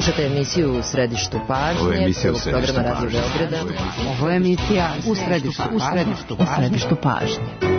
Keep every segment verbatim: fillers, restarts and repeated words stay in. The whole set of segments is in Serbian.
Slušate emisiju U središtu pažnje, prvog programa Radio Beograda. Ovo je emisija U središtu, u središtu, u središtu pažnje.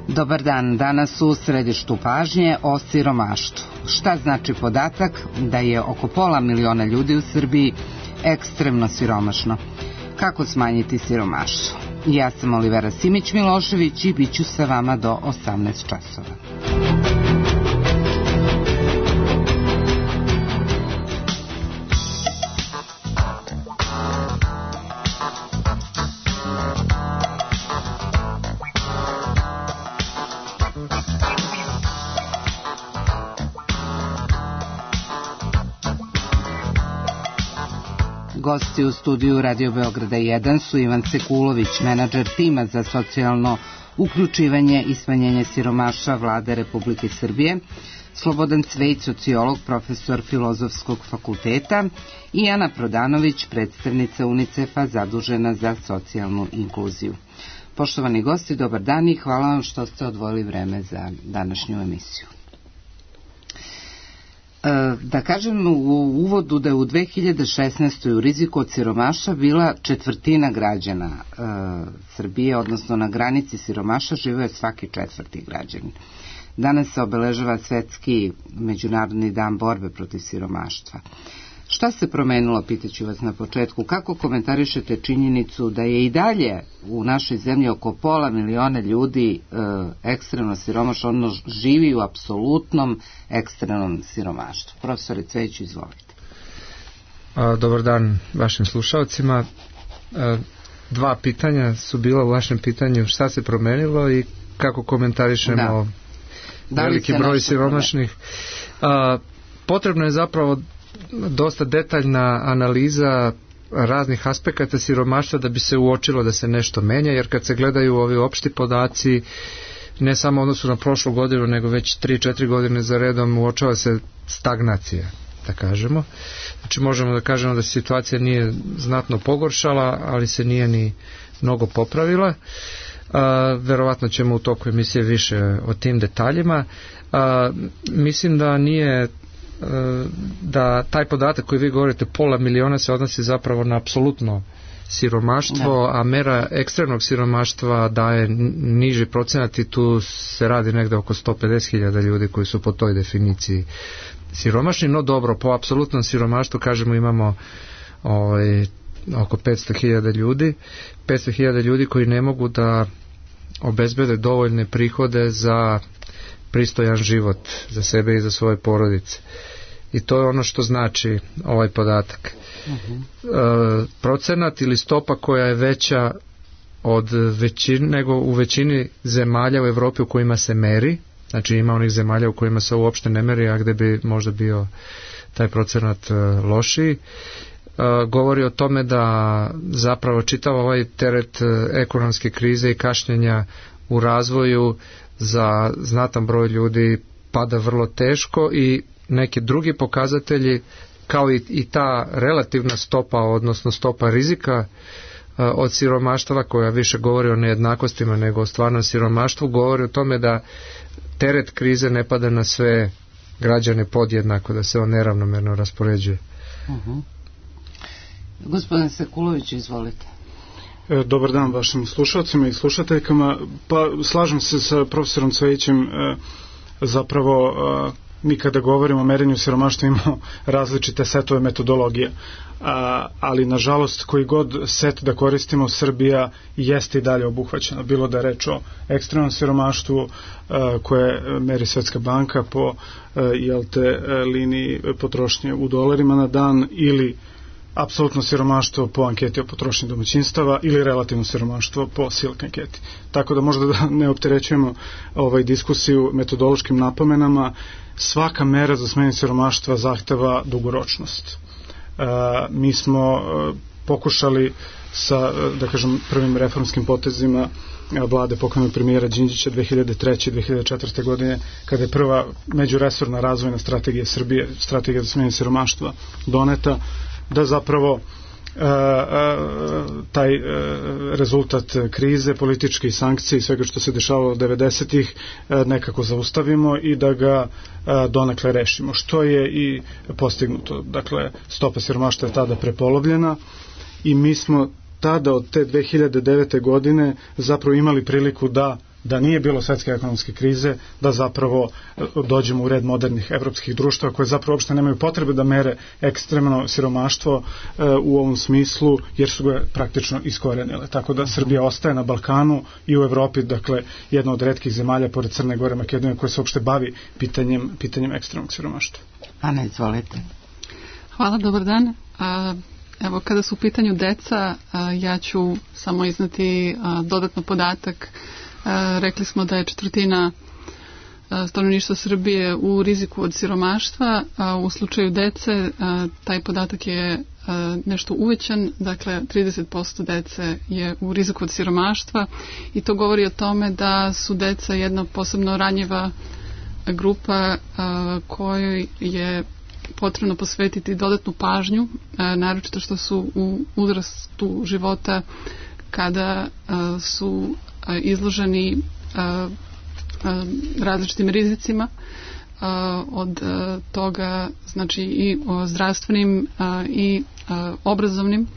Dobar dan, danas u središtu pažnje o siromaštvu. Šta znači podatak da je oko pola miliona ljudi u Srbiji ekstremno siromašno? Kako smanjiti siromaštvo? Ja sam Olivera Simić-Milošević i bit ću sa vama do osamnaest časova. Gosti u studiju Radio Beograda jedan su Ivan Sekulović, menadžer tima za socijalno uključivanje i smanjenje siromaštva Vlade Republike Srbije, Slobodan Cvejć, sociolog, profesor Filozofskog fakulteta i Ana Prodanović, predstavnica UNICEF-a zadužena za socijalnu inkluziju. Poštovani gosti, dobar dan i hvala vam što ste odvojili vreme za današnju emisiju. Da kažem u uvodu da je u dve hiljade šesnaestoj. u riziku od siromaštva bila četvrtina građana e, Srbije, odnosno na granici siromaštva živio je svaki četvrti građanin. Danas se obeležava Svetski međunarodni dan borbe protiv siromaštva. Šta se promenilo, pitaću vas na početku, kako komentarišete činjenicu da je i dalje u našoj zemlji oko pola miliona ljudi e, ekstremno siromašno, ono živi u apsolutnom ekstremnom siromaštvu? Profesore Cvejiću, izvolite. A, dobar dan vašim slušalcima. A, dva pitanja su bila u vašem pitanju, šta se promenilo i kako komentarišemo da. veliki broj siromašnih. A, potrebno je zapravo dosta detaljna analiza raznih aspekata siromaštva da bi se uočilo da se nešto menja, jer kad se gledaju ovi opšti podaci, ne samo odnosu na prošlu godinu, nego već tri četiri godine za redom uočava se stagnacija, da kažemo. Znači možemo da kažemo da se situacija nije znatno pogoršala, ali se nije ni mnogo popravila. A, verovatno ćemo u toku emisije više o tim detaljima. A, mislim da nije da taj podatak koji vi govorite, pola miliona, se odnosi zapravo na apsolutno siromaštvo, a mera ekstremnog siromaštva daje niži procenat i tu se radi negde oko sto pedeset hiljada ljudi koji su po toj definiciji siromašni. No dobro, po apsolutnom siromaštvu kažemo imamo ovaj, oko petsto hiljada ljudi, petsto hiljada ljudi koji ne mogu da obezbede dovoljne prihode za pristojan život za sebe i za svoje porodice. I to je ono što znači ovaj podatak. Uh-huh. E, procenat ili stopa koja je veća od većine, nego u većini zemalja u Evropi u kojima se meri, znači ima onih zemalja u kojima se uopšte ne meri, a gde bi možda bio taj procenat lošiji, e, govori o tome da zapravo čitav ovaj teret ekonomske krize i kašnjenja u razvoju za znatan broj ljudi pada vrlo teško i neki drugi pokazatelji kao i, i ta relativna stopa, odnosno stopa rizika uh, od siromaštva koja više govori o nejednakostima nego o stvarnom siromaštvu, govori o tome da teret krize ne pada na sve građane podjednako, da se on neravnomerno raspoređuje. Uh-huh. Gospodin Sekulović, izvolite. Dobar dan vašim slušalcima i slušateljkama. Pa slažem se sa profesorom Cvejićem, zapravo mi kada govorimo o merenju siromaštva imamo različite setove metodologije, ali nažalost koji god set da koristimo, Srbija jeste i dalje obuhvaćena, bilo da je reč o ekstremnom siromaštvu koje meri Svetska banka po jel te liniji potrošnje u dolarima na dan, ili apsolutno siromaštvo po anketi o potrošnji domaćinstava, ili relativno siromaštvo po Silk anketi. Tako da možda da ne opterećujemo ovaj diskusiju metodološkim napomenama, svaka mera za smanjenje siromaštva zahteva dugoročnost. E, mi smo e, pokušali sa, da kažem, prvim reformskim potezima vlade pokojnog premijera Đinđića dve hiljade treće i dve hiljade četvrte. godine, kada je prva međuresorna razvojna strategija Srbije, strategija za smanjenje siromaštva doneta, da zapravo e, e, taj e, rezultat krize, političke sankcije i svega što se dešavalo od devedesetih e, nekako zaustavimo i da ga e, donekle rešimo, što je i postignuto. Dakle, stopa siromaštva je tada prepolovljena i mi smo tada od te dve hiljade devete. godine zapravo imali priliku da da nije bilo svetske ekonomske krize, da zapravo dođemo u red modernih evropskih društva koje zapravo uopšte nemaju potrebe da mere ekstremno siromaštvo e, u ovom smislu, jer su ga praktično iskorenile. Tako da Srbija ostaje na Balkanu i u Evropi, dakle, jedna od retkih zemalja pored Crne Gore, Makedonije, koja se uopšte bavi pitanjem, pitanjem ekstremnog siromaštva. Ana, izvolite. Hvala, dobar dan. A, evo, kada su u pitanju deca, a, ja ću samo iznati a, dodatno podatak. Rekli smo da je četvrtina stanovništva Srbije u riziku od siromaštva. U slučaju dece taj podatak je nešto uvećan, dakle trideset posto dece je u riziku od siromaštva i to govori o tome da su deca jedna posebno ranjiva grupa kojoj je potrebno posvetiti dodatnu pažnju, naročito što su u uzrastu života kada su izloženi različitim rizicima, od toga znači i zdravstvenim i obrazovnim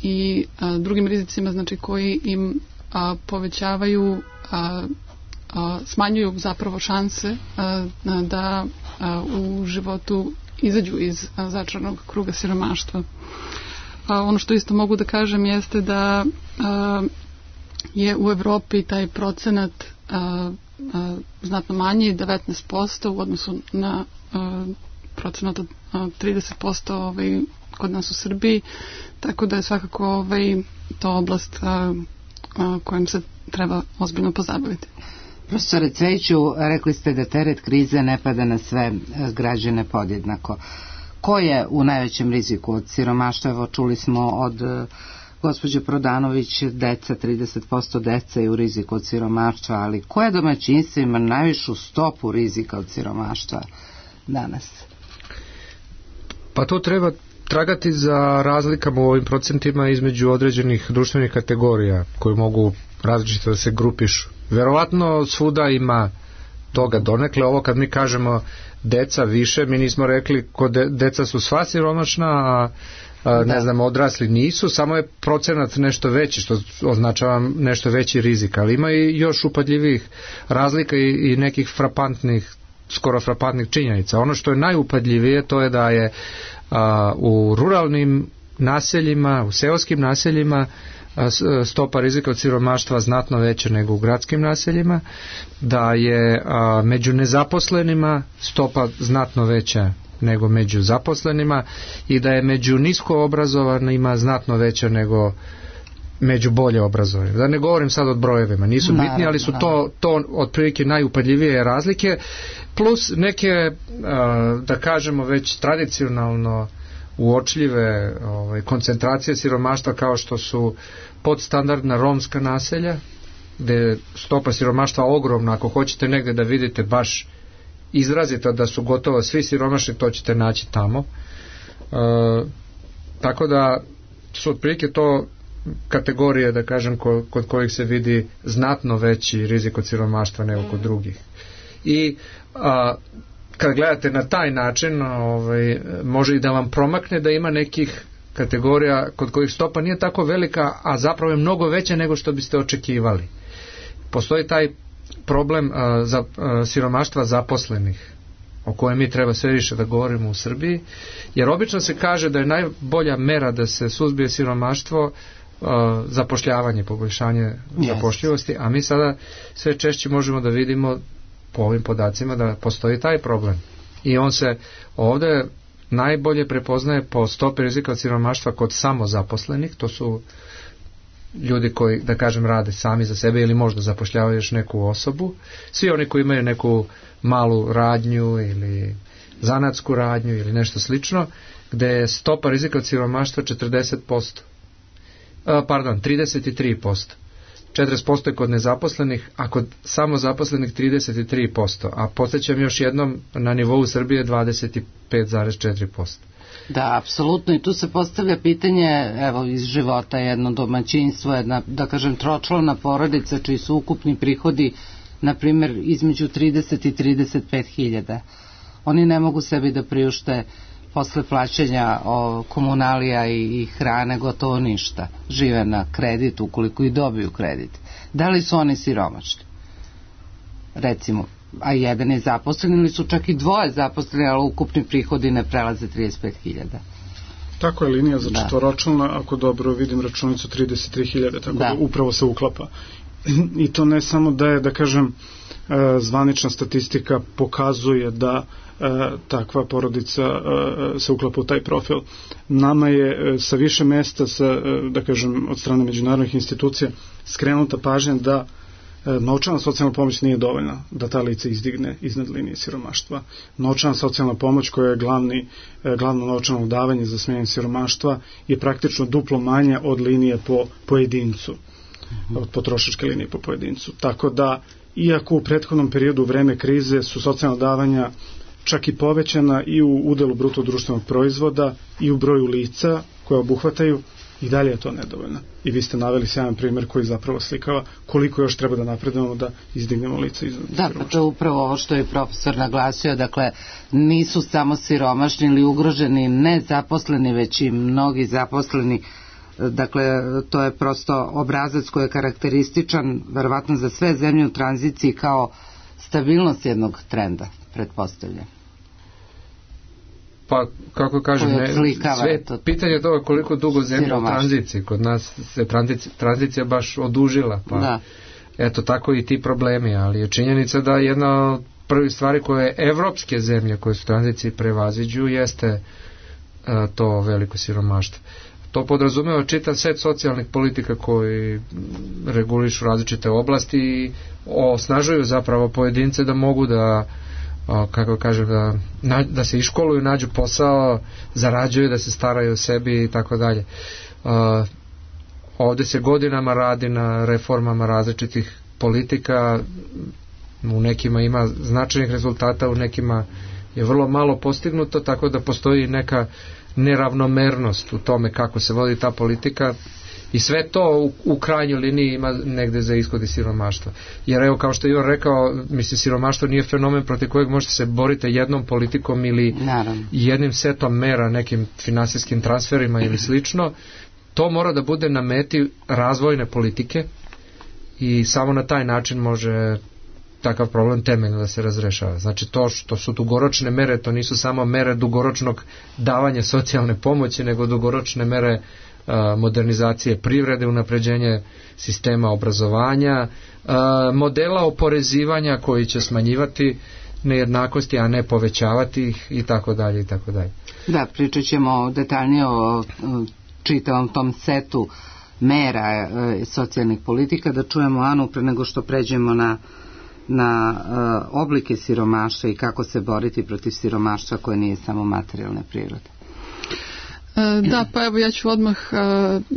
i drugim rizicima, znači koji im povećavaju, smanjuju zapravo šanse da u životu izađu iz začaranog kruga siromaštva. Ono što isto mogu da kažem jeste da je u Evropi taj procenat a, a, znatno manji, devetnaest posto u odnosu na a, procenat od a, trideset posto ovaj, kod nas u Srbiji, tako da je svakako ovaj, to oblast a, a, kojom se treba ozbiljno pozabaviti. Profesore Cvejiću, rekli ste da teret krize ne pada na sve građane podjednako. Ko je u najvećem riziku od siromaštva? Evo, čuli smo od gospođe Prodanović, deca, trideset posto deca je u riziku od siromaštva, ali koje domaćinstvo ima najvišu stopu rizika od siromaštva danas? Pa to treba tragati za razlikama u ovim procentima između određenih društvenih kategorija koje mogu različito da se grupišu. Verovatno svuda ima toga donekle. Ovo kad mi kažemo deca više, mi nismo rekli kod de, deca su sva siromašna, a A, ne znam, odrasli nisu, samo je procenat nešto veći, što označava nešto veći rizik, ali ima i još upadljivih razlika i, i nekih frapantnih, skoro frapantnih činjenica. Ono što je najupadljivije to je da je a, u ruralnim naseljima, u seoskim naseljima a, stopa rizika od siromaštva znatno veća nego u gradskim naseljima, da je a, među nezaposlenima stopa znatno veća nego među zaposlenima i da je među nisko obrazovanima znatno veća nego među bolje obrazovanima. Da ne govorim sad o brojevima, nisu bitni, naravno, ali su to, to otprilike najupadljivije razlike, plus neke, da kažemo, već tradicionalno uočljive ovaj, koncentracije siromaštva kao što su podstandardna romska naselja, gde je stopa siromaštva ogromna. Ako hoćete negde da vidite baš izrazito da su gotovo svi siromašni, to ćete naći tamo. E, tako da su otprilike to kategorije, da kažem, ko, kod kojih se vidi znatno veći rizik od siromaštva nego kod drugih. I a, kad gledate na taj način, ovaj, može i da vam promakne da ima nekih kategorija kod kojih stopa nije tako velika, a zapravo je mnogo veća nego što biste očekivali. Postoji taj problem a, za, a, siromaštva zaposlenih, o kojem mi treba sve više da govorimo u Srbiji, jer obično se kaže da je najbolja mera da se suzbije siromaštvo uh, zapošljavanje, poboljšanje yes. zapošljivosti, a mi sada sve češće možemo da vidimo po ovim podacima da postoji taj problem. I on se ovde najbolje prepoznaje po stopi rizika od siromaštva kod samozaposlenih, to su ljudi koji, da kažem, rade sami za sebe ili možda zapošljavaju još neku osobu, svi oni koji imaju neku malu radnju ili zanatsku radnju ili nešto slično, gde je stopa rizika od siromaštva četrdeset posto. A, pardon, trideset tri posto. četrdeset posto je kod nezaposlenih, a kod samozaposlenih trideset tri posto. A podsjećam još jednom, na nivou Srbije dvadeset pet zarez četiri posto. Da, apsolutno, i tu se postavlja pitanje, evo, iz života jedno domaćinstvo, jedna, da kažem, tročlana porodica, čiji su ukupni prihodi, na primjer, između trideset i trideset pet hiljada. Oni ne mogu sebi da priušte posle plaćanja o, komunalija i, i hrane gotovo ništa. Žive na kredit, ukoliko i dobiju kredit. Da li su oni siromašni? Recimo, a jedan je zaposlen ili su čak i dvoje zaposleni, ali ukupni prihodi ne prelaze trideset pet hiljada. Tako je linija za četvoročlana, ako dobro vidim računicu trideset tri hiljade, tako da. da upravo se uklapa. I to ne samo da je, da kažem, zvanična statistika pokazuje da takva porodica se uklapa u taj profil. Nama je sa više mesta, sa, da kažem, od strane međunarodnih institucija skrenuta pažnja da novčana socijalna pomoć nije dovoljna da ta lica izdigne iznad linije siromaštva. Novčana socijalna pomoć, koja je glavni, glavno novčano davanje za smanjenje siromaštva, je praktično duplo manja od linije po pojedincu, od potrošačke linije po pojedincu. Tako da, iako u prethodnom periodu u vreme krize su socijalna davanja čak i povećana i u udelu bruto društvenog proizvoda i u broju lica koje obuhvataju, i dalje je to nedovoljno. I vi ste naveli sjajan primjer koji zapravo slikava koliko još treba da napredujemo da izdignemo lica iznad siromaštva. Da, pa to je upravo ovo što je profesor naglasio, dakle, nisu samo siromašni ili ugroženi nezaposleni, već i mnogi zaposleni. Dakle, to je prosto obrazac koji je karakterističan verovatno za sve zemlje u tranziciji kao stabilnost jednog trenda, pretpostavljam. Pa, kako kažem, ne, sve to, pitanje je toga koliko dugo zemlja u tranziciji. Kod nas se tranzicija, tranzicija baš odužila, pa da. Eto tako i ti problemi, ali je činjenica da jedna od prvih stvari koje evropske zemlje koje su u tranziciji prevaziđu jeste a, to veliko siromaštvo. To podrazumeva čitav set socijalnih politika koji regulišu različite oblasti i osnažuju zapravo pojedince da mogu da, kako kažem, da, da se iškoluju, nađu posao, zarađuju, da se staraju o sebi i tako dalje. Ovde se godinama radi na reformama različitih politika, u nekima ima značajnih rezultata, u nekima je vrlo malo postignuto, tako da postoji neka neravnomernost u tome kako se vodi ta politika i sve to u, u krajnjoj liniji ima negde za ishod siromaštva. Jer evo, kao što je Ivan rekao, mislim, siromaštvo nije fenomen protiv kojeg možete se boriti jednom politikom ili Naravno. jednim setom mera, nekim finansijskim transferima ili slično. To mora da bude na meti razvojne politike i samo na taj način može takav problem temeljno da se razrešava. Znači to što su dugoročne mere, to nisu samo mere dugoročnog davanja socijalne pomoći, nego dugoročne mere a, modernizacije privrede, unapređenje sistema obrazovanja, a, modela oporezivanja koji će smanjivati nejednakosti, a ne povećavati ih i tako dalje i tako dalje. Da, pričat ćemo detaljnije o čitavom tom setu mera e, socijalnih politika, da čujemo Anu pre nego što pređemo na na uh, oblike siromaštva i kako se boriti protiv siromaštva koje nije samo materijalne prirode. E, da, pa evo ja ću odmah uh,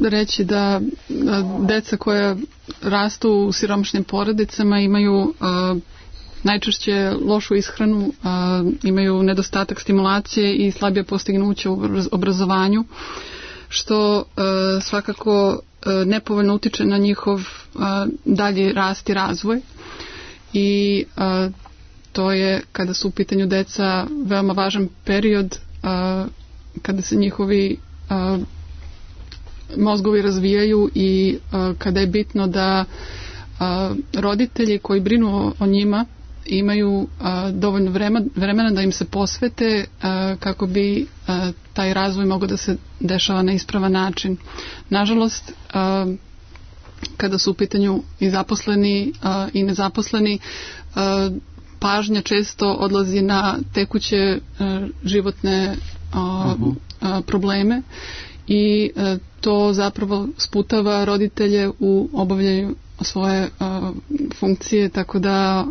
reći da uh, deca koja rastu u siromašnim porodicama imaju uh, najčešće lošu ishranu, uh, imaju nedostatak stimulacije i slabije postignuće u obrazovanju, što uh, svakako uh, nepovoljno utiče na njihov uh, dalji rast i razvoj. I a, to je kada su u pitanju deca veoma važan period kada se njihovi mozgovi razvijaju i kada je bitno da roditelji koji brinu o njima imaju dovoljno vremena da im se posvete kako bi taj razvoj mogao da se dešava na ispravan način. Nažalost, kada su u pitanju i zaposleni i nezaposleni, pažnja često odlazi na tekuće životne probleme i to zapravo sputava roditelje u obavljanju svoje funkcije, tako da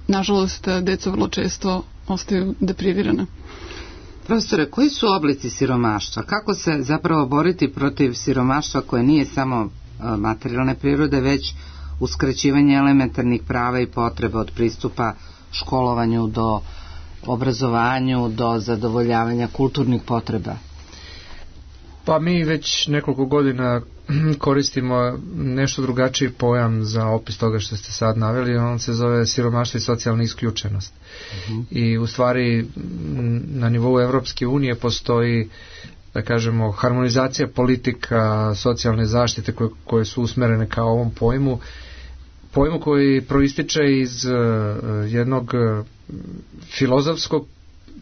nažalost deca vrlo često ostaju deprivirana. Profesore, koji su oblici siromaštva? Kako se zapravo boriti protiv siromaštva koje nije samo materijalne prirode, već uskraćivanje elementarnih prava i potreba od pristupa školovanju do obrazovanju, do zadovoljavanja kulturnih potreba? Pa mi već nekoliko godina koristimo nešto drugačiji pojam za opis toga što ste sad naveli, on se zove siromaštvo i socijalna isključenost. Uh-huh. I u stvari na nivou Evropske unije postoji, da kažemo, harmonizacija politika socijalne zaštite koje, koje su usmerene ka ovom pojmu, pojmu koji proističe iz uh, jednog uh, filozofskog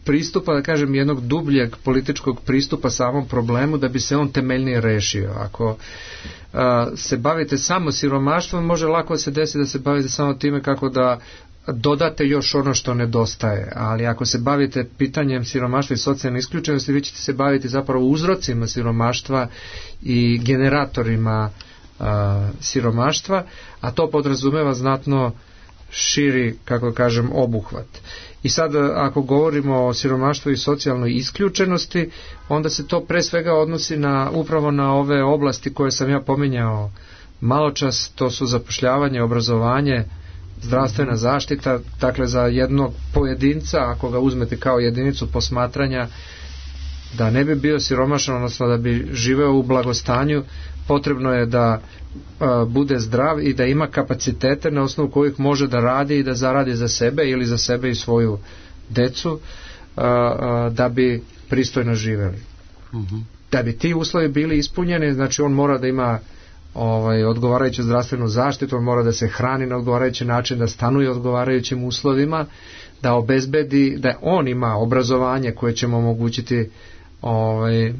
pristupa, da kažem, jednog dubljeg političkog pristupa samom problemu da bi se on temeljnije rešio. Ako uh, se bavite samo siromaštvom, može lako se desiti da se bavite samo time kako da dodate još ono što nedostaje, ali ako se bavite pitanjem siromaštva i socijalne isključenosti, vi ćete se baviti zapravo uzrocima siromaštva i generatorima uh, siromaštva, a to podrazumeva znatno širi, kako kažem, obuhvat. I sad, ako govorimo o siromaštvu i socijalnoj isključenosti, onda se to pre svega odnosi na, upravo na ove oblasti koje sam ja pominjao malo čas, to su zapošljavanje, obrazovanje, zdravstvena zaštita. Dakle, za jednog pojedinca, ako ga uzmete kao jedinicu posmatranja, da ne bi bio siromašan, odnosno da bi živeo u blagostanju, potrebno je da a, bude zdrav i da ima kapacitete na osnovu kojih može da radi i da zaradi za sebe ili za sebe i svoju decu, a, a, da bi pristojno živeli. Uh-huh. Da bi ti uslovi bili ispunjeni, znači on mora da ima ovaj, odgovarajuću zdravstvenu zaštitu, on mora da se hrani na odgovarajući način, da stanuje odgovarajućim uslovima, da obezbedi, da on ima obrazovanje koje će mu omogućiti ovaj,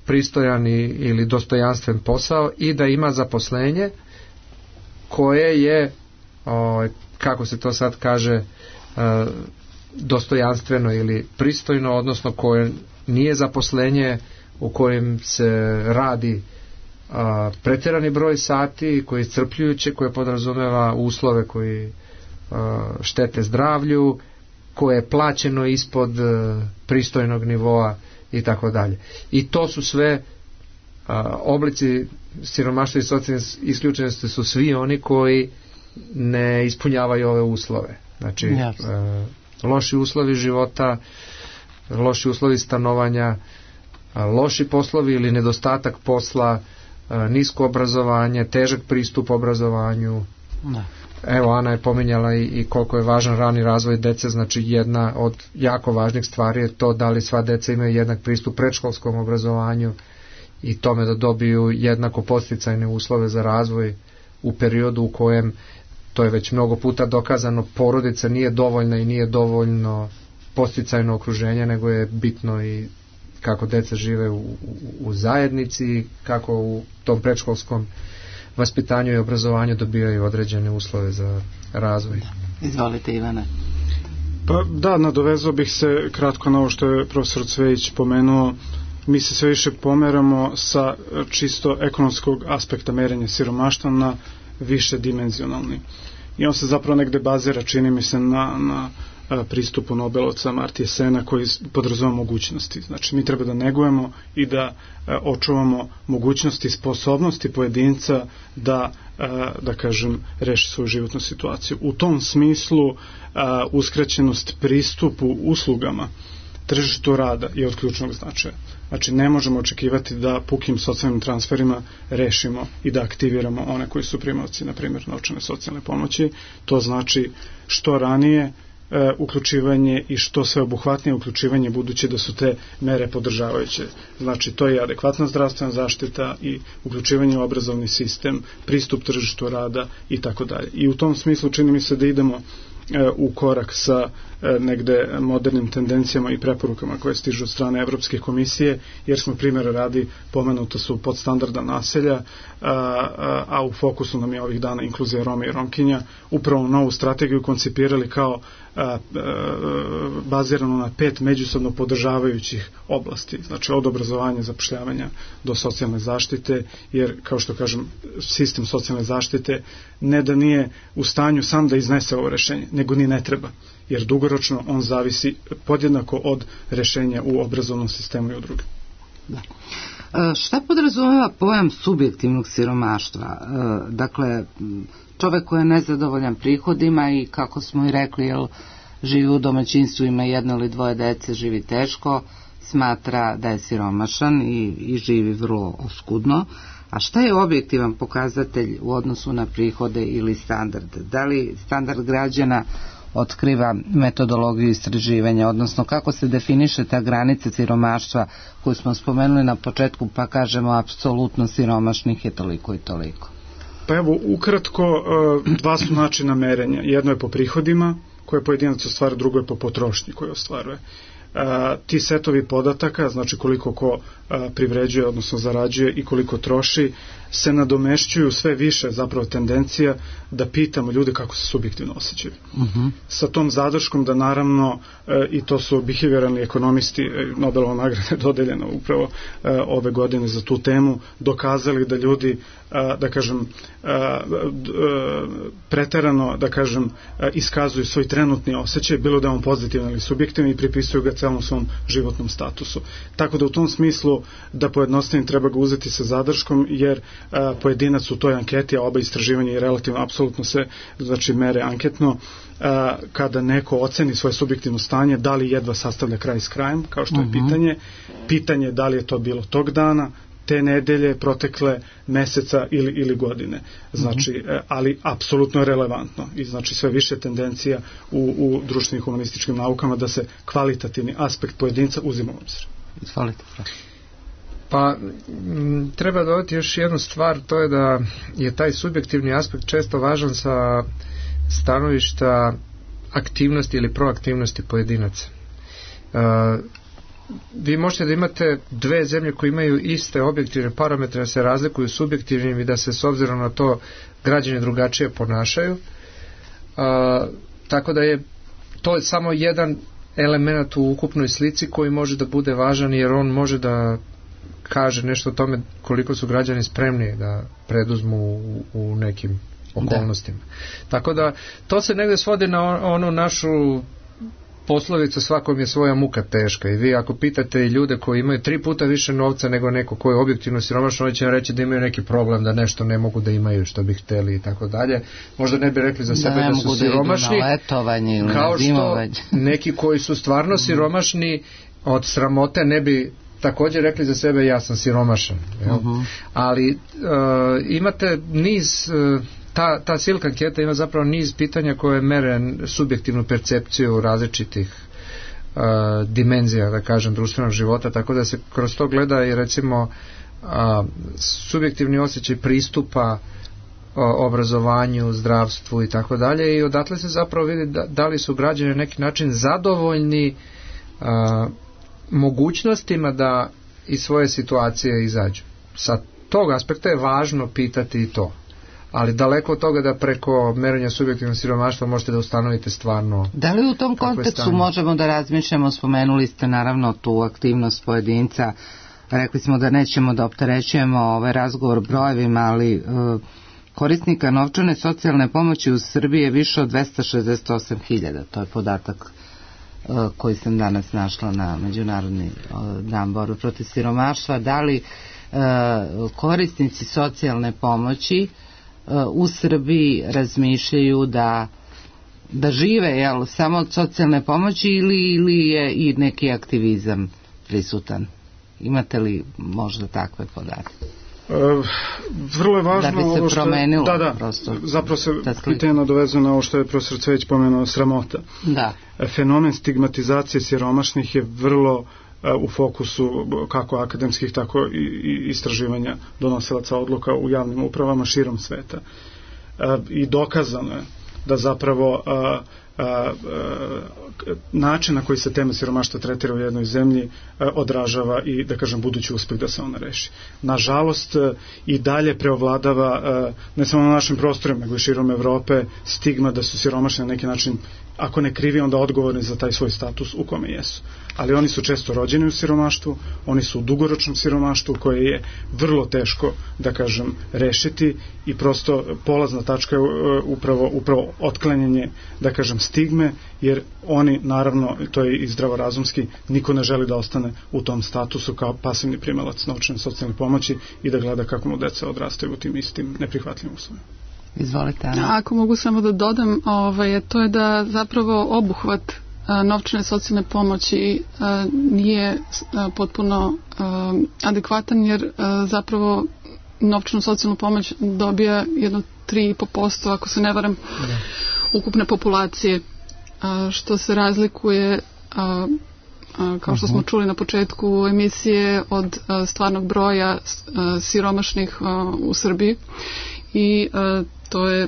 pristojan ili dostojanstven posao i da ima zaposlenje koje je, ovaj, kako se to sad kaže, dostojanstveno ili pristojno, odnosno koje nije zaposlenje u kojem se radi a, pretjerani broj sati, koje je iscrpljujuće, koje podrazumeva uslove koji a, štete zdravlju, koje je plaćeno ispod a, pristojnog nivoa i tako dalje. I to su sve a, oblici siromaštva i socijalne isključenosti, su svi oni koji ne ispunjavaju ove uslove. Znači, a, loši uslovi života, loši uslovi stanovanja, a, loši poslovi ili nedostatak posla, a, nisko obrazovanje, težak pristup obrazovanju. Ne. Evo, Ana je pominjala i, i koliko je važan rani razvoj dece. Znači, jedna od jako važnih stvari je to da li sva deca imaju jednak pristup predškolskom obrazovanju i tome da dobiju jednako podsticajne uslove za razvoj u periodu u kojem, to je već mnogo puta dokazano, porodica nije dovoljna i nije dovoljno podsticajno okruženje, nego je bitno i kako deca žive u, u, u zajednici, kako u tom predškolskom vaspitanju i obrazovanju dobijaju određene uslove za razvoj. Izvolite, Ivane. Pa da, nadovezao bih se kratko na ovo što je profesor Cvejić pomenuo. Mi se sve više pomeramo sa čisto ekonomskog aspekta merenja siromaštva na više dimenzionalni. I on se zapravo negde bazira, čini mi se, na, na pristupu Nobelovca Amartya Sena, koji podrazumeva mogućnosti. Znači, mi treba da negujemo i da očuvamo mogućnosti i sposobnosti pojedinca da, da kažem, reši svoju životnu situaciju. U tom smislu uskraćenost pristupu uslugama tržištu rada je od ključnog značaja. Znači, ne možemo očekivati da pukim socijalnim transferima rešimo i da aktiviramo one koji su primaoci, na primjer, novčane socijalne pomoći. To znači što ranije e, uključivanje i što sve obuhvatnije uključivanje, budući da su te mere podržavajuće. Znači, to je adekvatna zdravstvena zaštita i uključivanje u obrazovni sistem, pristup tržištu rada i tako dalje. I u tom smislu čini mi se da idemo u korak sa negde modernim tendencijama i preporukama koje stižu od strane Evropske komisije, jer smo primjera radi, pomenuto su podstandardna naselja, a, a, a u fokusu nam je ovih dana inkluzija Roma i Romkinja, upravo novu strategiju koncipirali kao a, a, bazirano na pet međusobno podržavajućih oblasti, znači od obrazovanja, zapošljavanja do socijalne zaštite, jer kao što kažem, sistem socijalne zaštite ne da nije u stanju sam da iznese ovo rešenje, nego ni ne treba, jer dugoročno on zavisi podjednako od rešenja u obrazovnom sistemu i u drugim. Da. E, šta podrazumeva pojam subjektivnog siromaštva? E, dakle, čovek koji je nezadovoljan prihodima i, kako smo i rekli, jel, živi u domaćinstvu, ima jedno ili dvoje dece, živi teško, smatra da je siromašan i, i živi vrlo oskudno. A šta je objektivan pokazatelj u odnosu na prihode ili standard? Da li standard građana otkriva metodologiju istraživanja, odnosno kako se definiše ta granica siromaštva koju smo spomenuli na početku, pa kažemo apsolutno siromašnih je toliko i toliko? Pa evo, ukratko, dva su načina merenja. Jedno je po prihodima koje pojedinac ostvaruje, drugo je po potrošnji koje ostvaruje. A, ti setovi podataka, znači koliko ko a, privređuje, odnosno zarađuje i koliko troši, se nadomešćuju sve više zapravo tendencija da pitamo ljude kako se subjektivno osjećaju. Uh-huh. Sa tom zadrškom da naravno, e, i to su behavioralni ekonomisti, e, Nobelova nagrada je dodeljena upravo e, ove godine za tu temu, dokazali da ljudi, a, da kažem, a, d, a, preterano, da kažem, a, iskazuju svoj trenutni osjećaj, bilo da je on pozitivan ili subjektivan, i pripisuju ga celom svom životnom statusu. Tako da u tom smislu, da pojednostavim, treba ga uzeti sa zadrškom, jer a, pojedinac u toj anketi, a oba istraživanja i relativno apsolutno se, znači, mere anketno, a, kada neko oceni svoje subjektivno stanje, da li jedva sastavlja kraj s krajem, kao što je uh-huh. pitanje, pitanje da li je to bilo tog dana, te nedelje, protekle meseca ili, ili godine. Znači, uh-huh. ali apsolutno relevantno i znači sve više tendencija u, u društvenim humanističkim naukama da se kvalitativni aspekt pojedinca uzima u obzir. Izvolite. Pa m, treba dodati još jednu stvar, to je da je taj subjektivni aspekt često važan sa stanovišta aktivnosti ili proaktivnosti pojedinaca. E, vi možete da imate dve zemlje koje imaju iste objektivne parametre, da se razlikuju subjektivnim i da se s obzirom na to građani drugačije ponašaju. E, tako da je to samo jedan element u ukupnoj slici koji može da bude važan, jer on može da kaže nešto o tome koliko su građani spremni da preduzmu u, u nekim okolnostima. Da. Tako da to se negde svodi na onu našu poslovicu svakom je svoja muka teška, i vi ako pitate i ljude koji imaju tri puta više novca nego neko koji je objektivno siromašan, oni će vam reći da imaju neki problem, da nešto ne mogu da imaju što bi hteli i tako dalje. Možda ne bi rekli za sebe da, da su siromašni, da kao što neki koji su stvarno siromašni od sramote ne bi također rekli za sebe ja sam siromašan. Uh-huh. Ali uh, imate niz uh, ta, ta silka anketa ima zapravo niz pitanja koje mere subjektivnu percepciju različitih uh, dimenzija, da kažem, društvenog života, tako da se kroz to gleda i recimo uh, subjektivni osjećaj pristupa uh, obrazovanju, zdravstvu i tako dalje, i odatle se zapravo vidi da, da li su građani na neki način zadovoljni uh, mogućnostima da iz svoje situacije izađu. Sa tog aspekta je važno pitati i to. Ali daleko od toga da preko merenja subjektivnog siromaštva možete da ustanovite stvarno. Da li u tom kontekstu možemo da razmišljamo, spomenuli ste naravno tu aktivnost pojedinca, rekli smo da nećemo da opterećujemo ovaj razgovor brojevima, ali e, korisnika novčane socijalne pomoći u Srbiji je više od dvesta šezdeset osam hiljada, to je podatak koji sam danas našla na Međunarodni dan borbe protiv siromaštva. Da li korisnici socijalne pomoći u Srbiji razmišljaju da da žive, jel, samo od socijalne pomoći ili, ili je i neki aktivizam prisutan? Imate li možda takve podatke? Uh, vrlo je važno da bi se ovo što, promenilo da, da, prosto, zapravo se pitanje nadovezuje na ovo što je profesor Cvejić pomenuo, sramota. Da. Fenomen stigmatizacije siromašnih je vrlo uh, u fokusu kako akademskih, tako i, i istraživanja donosilaca odluka u javnim upravama širom sveta. Uh, I dokazano je da zapravo uh, A, a, način na koji se tema siromaštva tretira u jednoj zemlji a, odražava i, da kažem, budući uspeh da se ona reši. Nažalost, a, i dalje preovladava a, ne samo na našim prostorima, nego i širom Evrope stigma da su siromašni na neki način, ako ne krivi, onda odgovorni za taj svoj status u kome jesu. Ali oni su često rođeni u siromaštvu, oni su u dugoročnom siromaštvu koje je vrlo teško, da kažem, rešiti i prosto polazna tačka je upravo, upravo otklanjanje, da kažem, stigme, jer oni, naravno, to je i zdravorazumski, niko ne želi da ostane u tom statusu kao pasivni primalac novčane socijalne pomoći i da gleda kako mu deca odrastaju u tim istim neprihvatljivim uslovima. Izvolite, Ana. Ako mogu samo da dodam, ovaj, to je da zapravo obuhvat a, novčane socijalne pomoći a, nije a, potpuno a, adekvatan, jer a, zapravo novčanu socijalnu pomoć dobija jedno tri i po posto, ako se ne varam, da. ukupne populacije, a, što se razlikuje, a, a, kao što smo čuli na početku emisije, od a, stvarnog broja a, siromašnih a, u Srbiji. I a, to je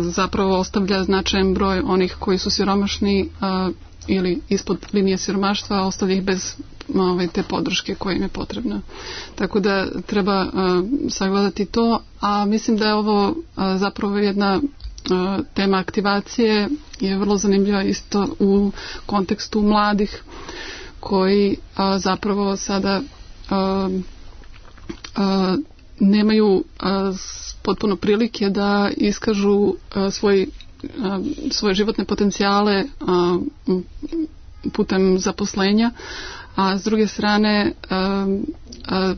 zapravo ostavlja značajan broj onih koji su siromašni a, ili ispod linije siromaštva, ostavlja ih bez ove, te podrške koja im je potrebna. Tako da treba a, sagledati to, a mislim da je ovo a, zapravo jedna a, tema aktivacije, je vrlo zanimljiva isto u kontekstu mladih koji a, zapravo sada a, a, nemaju a, potpuno prilike da iskažu a, svoj, a, svoje životne potencijale a, putem zaposlenja, a s druge strane a, a,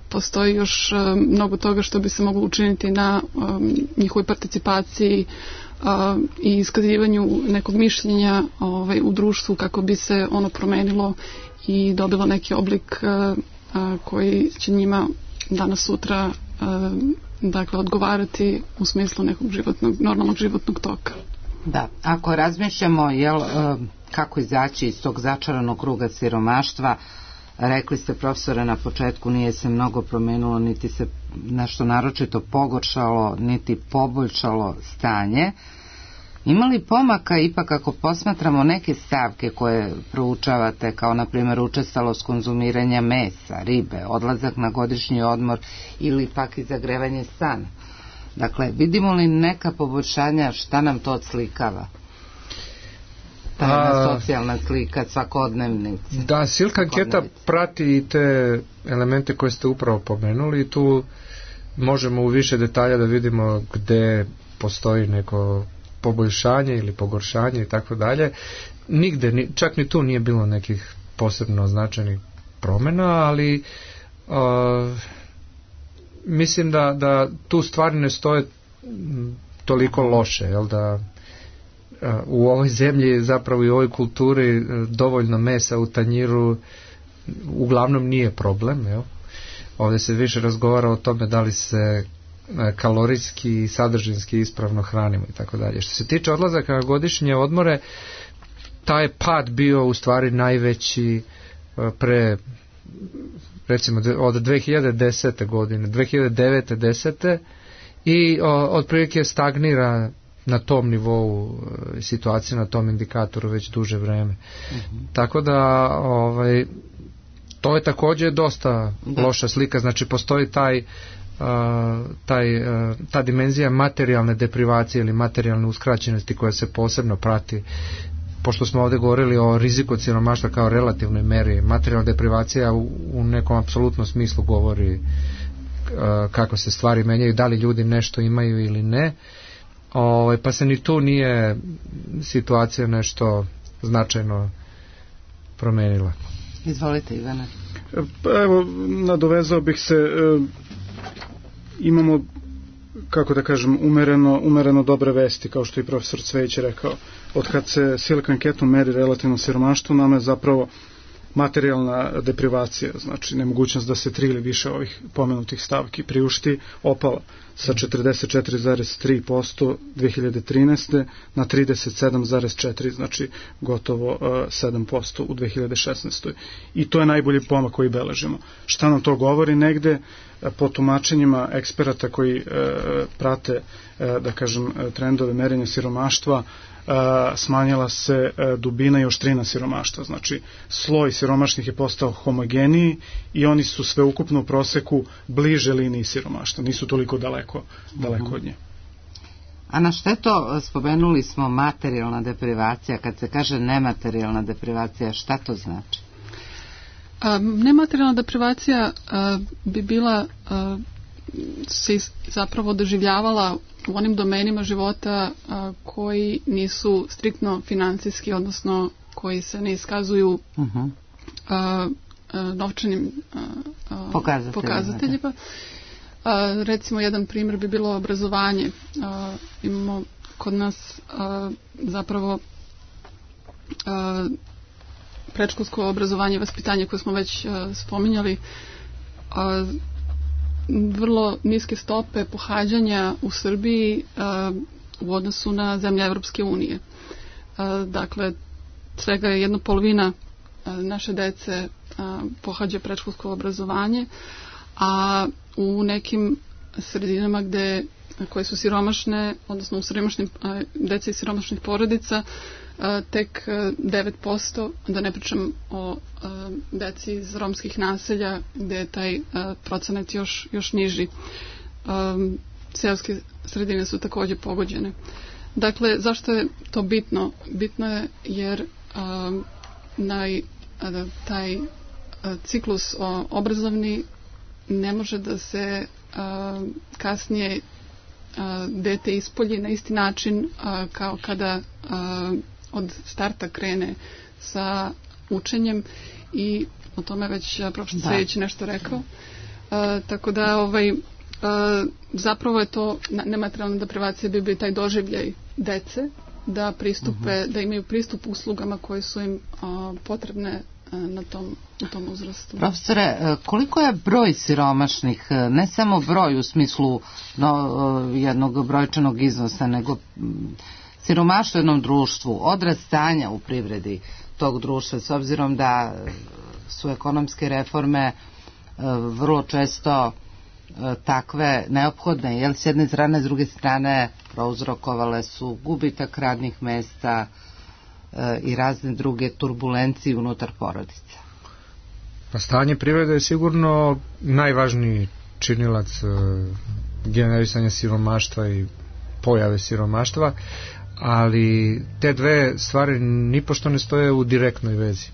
postoji još a, mnogo toga što bi se moglo učiniti na a, njihovoj participaciji a, i iskazivanju nekog mišljenja ovaj, u društvu, kako bi se ono promenilo i dobilo neki oblik a, a, koji će njima danas sutra dakle odgovarati u smislu nekog životnog, normalnog životnog toka. Da, ako razmišljamo jel, kako izaći iz tog začaranog kruga siromaštva, rekli ste, profesore, na početku nije se mnogo promenilo, niti se nešto naročito pogoršalo, niti poboljšalo stanje. Ima li pomaka ipak ako posmatramo neke stavke koje proučavate, kao na primjer učestalost konzumiranja mesa, ribe, odlazak na godišnji odmor ili pak i zagrevanje stana? Dakle, vidimo li neka poboljšanja, šta nam to odslikava? Ta jedna socijalna slika, svakodnevnici. Da, Silk anketa prati i te elemente koje ste upravo pomenuli i tu možemo u više detalja da vidimo gde postoji neko poboljšanje ili pogoršanje i tako dalje. Nigde, čak ni tu nije bilo nekih posebno značajnih promjena, ali uh, mislim da, da tu stvari ne stoje toliko loše, jel da uh, u ovoj zemlji, zapravo i u ovoj kulturi uh, dovoljno mesa u tanjiru uglavnom nije problem, jel? Ovdje se više razgovara o tome da li se kalorijski i sadržinski ispravno hranimo i tako dalje. Što se tiče odlazaka na godišnje odmore, taj pad bio u stvari najveći pre, recimo, od dve hiljade desete godine, dve hiljade devete desete i otprilike stagnira na tom nivou situacije, na tom indikatoru već duže vreme. Mm-hmm. Tako da ovaj, to je također dosta da. loša slika, znači postoji taj Uh, taj, uh, ta dimenzija materijalne deprivacije ili materijalne uskraćenosti koja se posebno prati, pošto smo ovdje govorili o riziku od siromaštva kao relativnoj meri. Materijalna deprivacija u, u nekom apsolutnom smislu govori uh, kako se stvari menjaju, da li ljudi nešto imaju ili ne, o, pa se ni tu nije situacija nešto značajno promenila. Izvolite, Ivana. Pa evo, nadovezao bih se, e, imamo, kako da kažem, umereno, umereno dobre vesti, kao što i profesor Cvejić rekao. Od kad se Silk anketom meri relativno siromaštvo, nama je zapravo materijalna deprivacija, znači nemogućnost da se tri ili više ovih pomenutih stavki priušti, opala sa četrdeset četiri zarez tri posto dve hiljade trinaeste na trideset sedam zarez četiri, znači gotovo uh, sedam posto u dve hiljade šesnaestoj. I to je najbolji pomak koji beležimo. Šta nam to govori negde? Po tumačenjima eksperata koji uh, prate, uh, da kažem, trendove merenja siromaštva, Uh, smanjila se uh, dubina i oštrina siromaštva, znači sloj siromašnih je postao homogeniji i oni su sveukupno u proseku bliže liniji siromaštva, nisu toliko daleko, daleko uh-huh. od nje. A na šteto, spomenuli smo materijalna deprivacija, kad se kaže nematerijalna deprivacija, šta to znači? Um, nematerijalna deprivacija uh, bi bila uh, se zapravo doživljavala u onim domenima života a, koji nisu striktno financijski, odnosno koji se ne iskazuju uh-huh. a, a, novčanim a, a, pokazateljima. pokazateljima. A, recimo, jedan primjer bi bilo obrazovanje. A, imamo kod nas a, zapravo a, predškolsko obrazovanje i vaspitanje koje smo već a, spominjali, a, vrlo niske stope pohađanja u Srbiji uh, u odnosu na zemlje Evropske unije. Uh, dakle, svega je jedna polovina uh, naše dece uh, pohađa predškolsko obrazovanje, a u nekim sredinama gde, koje su siromašne, odnosno u siromašnim, uh, dece iz siromašnih porodica, uh, tek uh, devet posto, da ne pričam o uh, deci iz romskih naselja gde je taj uh, procenat još, još niži. Um, seoske sredine su također pogođene. Dakle, zašto je to bitno? Bitno je jer um, naj, uh, taj uh, ciklus uh, obrazovni ne može da se uh, kasnije uh, dete ispolji na isti način uh, kao kada uh, od starta krene sa učenjem, i o tome već profesor Cvejić nešto rekao. Uh, tako da ovaj, uh, zapravo je to nematerijalna deprivacija bi bio taj doživljaj dece da pristupe, uh-huh. da imaju pristup uslugama koje su im uh, potrebne uh, na tom, na tom uzrastu. Profesore, koliko je broj siromašnih, ne samo broj u smislu no, jednog brojčanog iznosa, nego siromaštvo u jednom društvu, odraz stanja u privredi tog društva, s obzirom da su ekonomske reforme vrlo često takve neophodne, jer s jedne strane, s druge strane prouzrokovale su gubitak radnih mesta i razne druge turbulencije unutar porodica. Pa stanje privrede je sigurno najvažniji činilac generisanja siromaštva i pojave siromaštva, ali te dve stvari nipošto ne stoje u direktnoj vezi.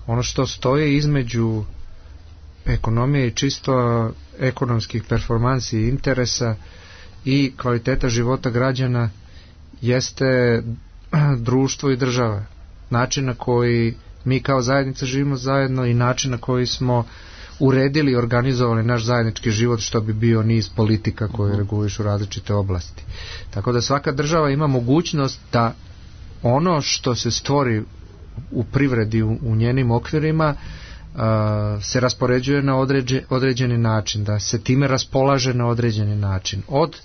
Ono što stoji između ekonomije i čisto ekonomskih performansi i interesa i kvaliteta života građana jeste društvo i država. Način na koji mi kao zajednica živimo zajedno i način na koji smo uredili i organizovali naš zajednički život, što bi bio niz politika koje regulišu različite oblasti. Tako da svaka država ima mogućnost da ono što se stvori u privredi u, u njenim okvirima uh, se raspoređuje na određe, određeni način, da se time raspolaže na određeni način. Od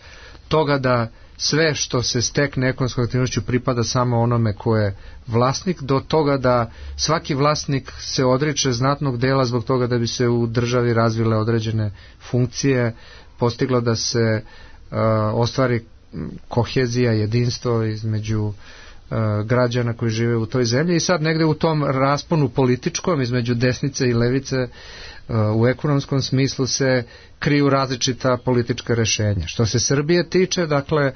toga da sve što se stekne ekonomskom aktivnošću pripada samo onome ko je vlasnik, do toga da svaki vlasnik se odriče znatnog dela zbog toga da bi se u državi razvile određene funkcije, postiglo da se uh, ostvari kohezija, jedinstvo između uh, građana koji žive u toj zemlji, i sad negde u tom rasponu političkom između desnice i levice uh, u ekonomskom smislu se kriju različita politička rešenja. Što se Srbije tiče, dakle,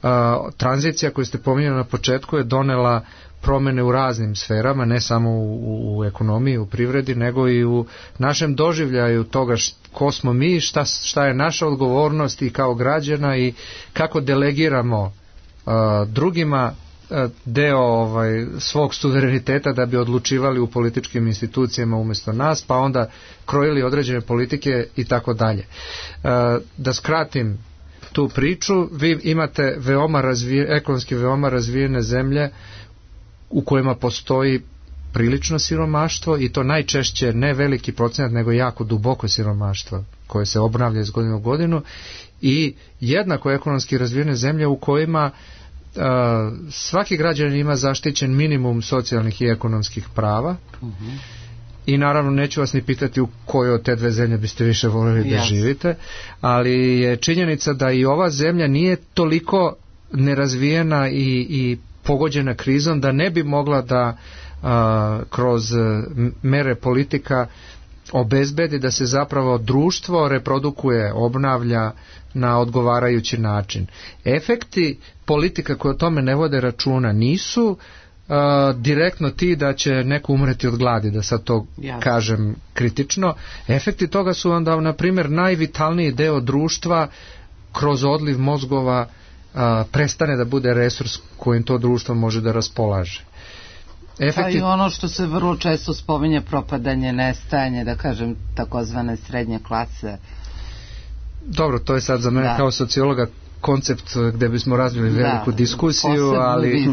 uh, tranzicija koju ste pominjali na početku je donela promene u raznim sferama, ne samo u, u ekonomiji, u privredi, nego i u našem doživljaju toga št, ko smo mi, šta, šta je naša odgovornost i kao građana i kako delegiramo uh, drugima uh, deo ovaj, svog suvereniteta da bi odlučivali u političkim institucijama umjesto nas, pa onda krojili određene politike i tako dalje. Uh, da skratim tu priču, vi imate veoma razvije, ekonomski veoma razvijene zemlje u kojima postoji prilično siromaštvo i to najčešće ne veliki procenat nego jako duboko siromaštvo koje se obnavlja iz godine u godinu i jednako ekonomski razvijene zemlje u kojima uh, svaki građanin ima zaštićen minimum socijalnih i ekonomskih prava. Uh-huh. I naravno neću vas ni pitati u kojoj od te dve zemlje biste više voljeli da yes. živite, ali je činjenica da i ova zemlja nije toliko nerazvijena i, i pogođena krizom da ne bi mogla da a, kroz mere politika obezbedi da se zapravo društvo reprodukuje, obnavlja na odgovarajući način. Efekti politika koje o tome ne vode računa nisu Uh, direktno ti da će neko umreti od gladi, da sad to Jasne. kažem kritično. Efekti toga su onda, na primjer, najvitalniji deo društva kroz odliv mozgova uh, prestane da bude resurs kojim to društvo može da raspolaže. Efekti... Pa i ono što se vrlo često spominje, propadanje, nestajanje, da kažem, takozvane srednje klase. Dobro, to je sad za mene da. kao sociologa koncept gde bismo razvili veliku da, diskusiju, ali,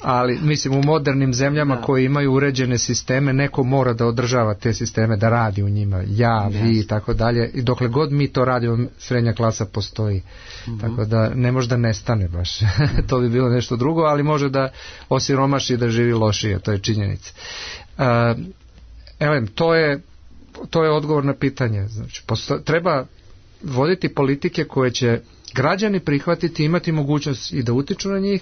ali mislim u modernim zemljama da. koje imaju uređene sisteme, neko mora da održava te sisteme, da radi u njima, ja, yes. vi i tako dalje, i dokle god mi to radimo, srednja klasa postoji. Mm-hmm. Tako da ne može da nestane baš. To bi bilo nešto drugo, ali može da osiromaši i da živi lošije, to je činjenica. Uh, evo, to je to je odgovor na pitanje. Znači, posto, treba voditi politike koje će građani prihvatiti, imati mogućnost i da utiču na njih,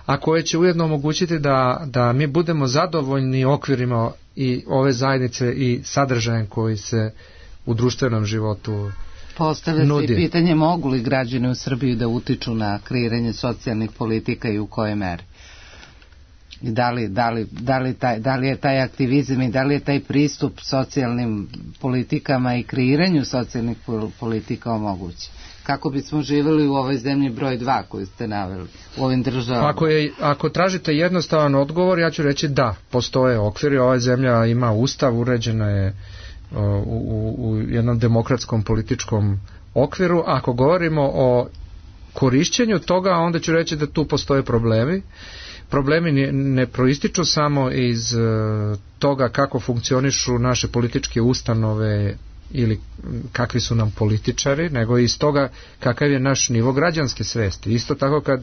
a koje će ujedno omogućiti da, da mi budemo zadovoljni okvirima i ove zajednice i sadržajem koji se u društvenom životu Postavlja nudi. Se i pitanje mogu li građani u Srbiji da utiču na kreiranje socijalnih politika i u kojoj meri. Da li, da, li, da, li taj, da li je taj aktivizam i da li je taj pristup socijalnim politikama i kreiranju socijalnih politika omogući. Kako bismo živjeli u ovoj zemlji broj dva koju ste naveli, u ovim državama? Ako, je, ako tražite jednostavan odgovor, ja ću reći da, postoje okviri, ova zemlja ima ustav, uređena je u, u, u jednom demokratskom političkom okviru. Ako govorimo o korišćenju toga, onda ću reći da tu postoje problemi. Problemi ne, ne proističu samo iz uh, toga kako funkcionišu naše političke ustanove ili kakvi su nam političari, nego iz toga kakav je naš nivo građanske svesti. Isto tako kad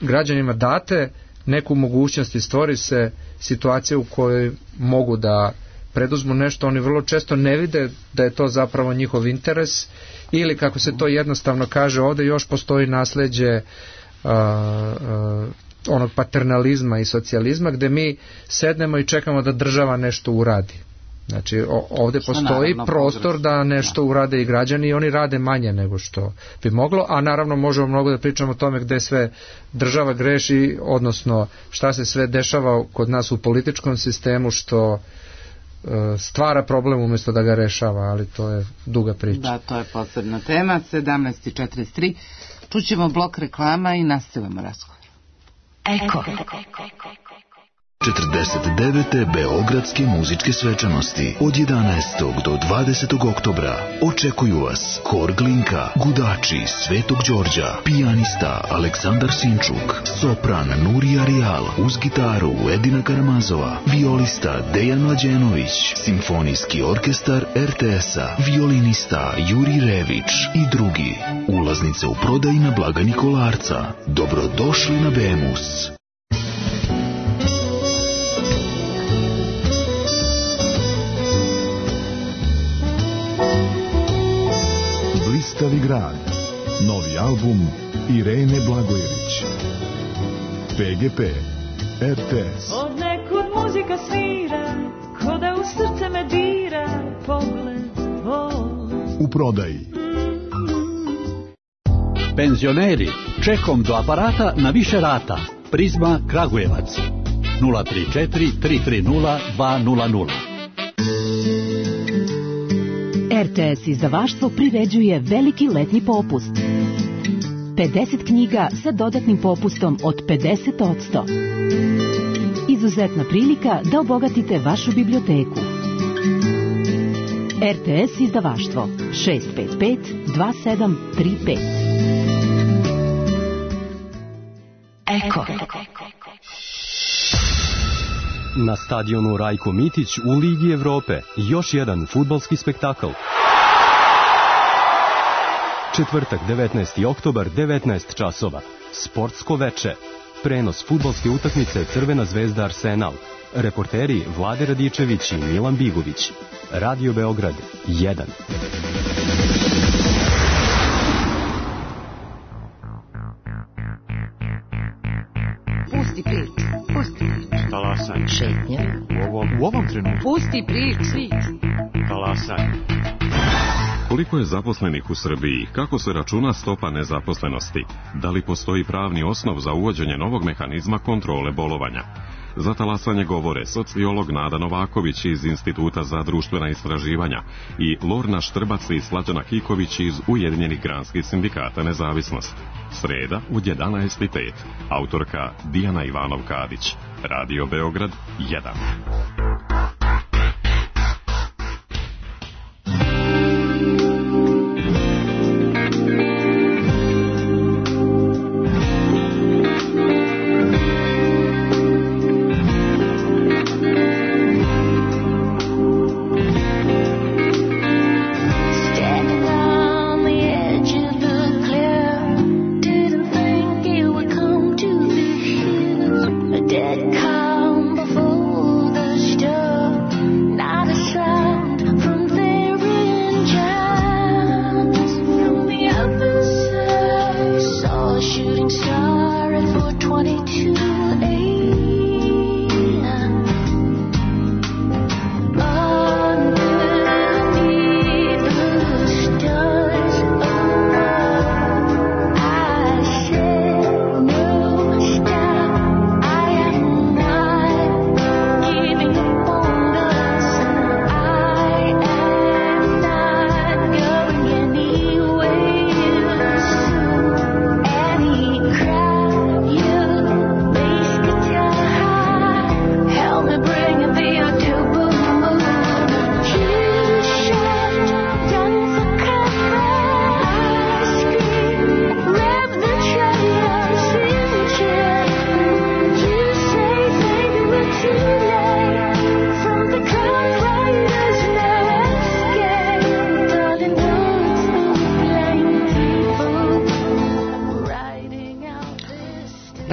građanima date neku mogućnost i stvori se situacija u kojoj mogu da preduzmu nešto, oni vrlo često ne vide da je to zapravo njihov interes, ili kako se to jednostavno kaže ovde, još postoji nasleđe uh, uh, onog paternalizma i socijalizma gde mi sednemo i čekamo da država nešto uradi. Znači ovde postoji prostor da nešto urade i građani i oni rade manje nego što bi moglo, a naravno možemo mnogo da pričamo o tome gde sve država greši, odnosno šta se sve dešava kod nas u političkom sistemu što uh, stvara problem umjesto da ga rešava, ali to je duga priča. Da, to je posebna tema. sedamnaest četrdeset tri Čućemo blok reklama i nastavljamo razgovor. Eko. četrdeset devete Beogradske muzičke svečanosti od jedanaestog do dvadesetog oktobra. Očekuju vas Hor Glinka, Gudači, Svetog Đorđa, pijanista Aleksandar Sinčuk, sopran Nurija Rijal, uz gitaru Edina Karamazova, violista Dejan Mlađenović, simfonijski orkestar er te es-a, violinista Juri Rević i drugi. Ulaznice u prodaji na blagajni Kolarca. Dobrodošli na Bemus. Blistavi grad. Novi album Irene Blagojević. pe ge pe, er te es. Od nekud muzika svira, ko da u srce me dira, pogled tvoj. U prodaji. Penzioneri, čekom do aparata na više rata. Prizma Kragujevac. nula tri četiri tri tri nula dva nula nula. er te es izdavaštvo priređuje veliki letnji popust. pedeset knjiga sa dodatnim popustom od pedeset posto. Izuzetna prilika da obogatite vašu biblioteku. er te es izdavaštvo šest pet pet dva sedam tri pet. Eko. Na stadionu Rajko Mitić u Ligi Evrope još jedan fudbalski spektakl. Četvrtak, devetnaesti oktobar, devetnaest časova. Sportsko veče. Prenos fudbalske utakmice Crvena zvezda Arsenal. Reporteri Vlade Radičević i Milan Bigović. Radio Beograd jedan. Pusti priču. Pusti priču. Talasanje. Šetnje. U ovom, u ovom trenutku. Pusti priču. Talasanje. Koliko je zaposlenih u Srbiji? Kako se računa stopa nezaposlenosti? Da li postoji pravni osnov za uvođenje novog mehanizma kontrole bolovanja? Za talasanje govore sociolog Nada Novaković iz Instituta za društvena istraživanja i Lorna Štrbac i Slađana Kiković iz Ujedinjenih granskih sindikata Nezavisnost. Sreda u jedanaest i pet. Autorka Dijana Ivanov-Kadić. Radio Beograd jedan.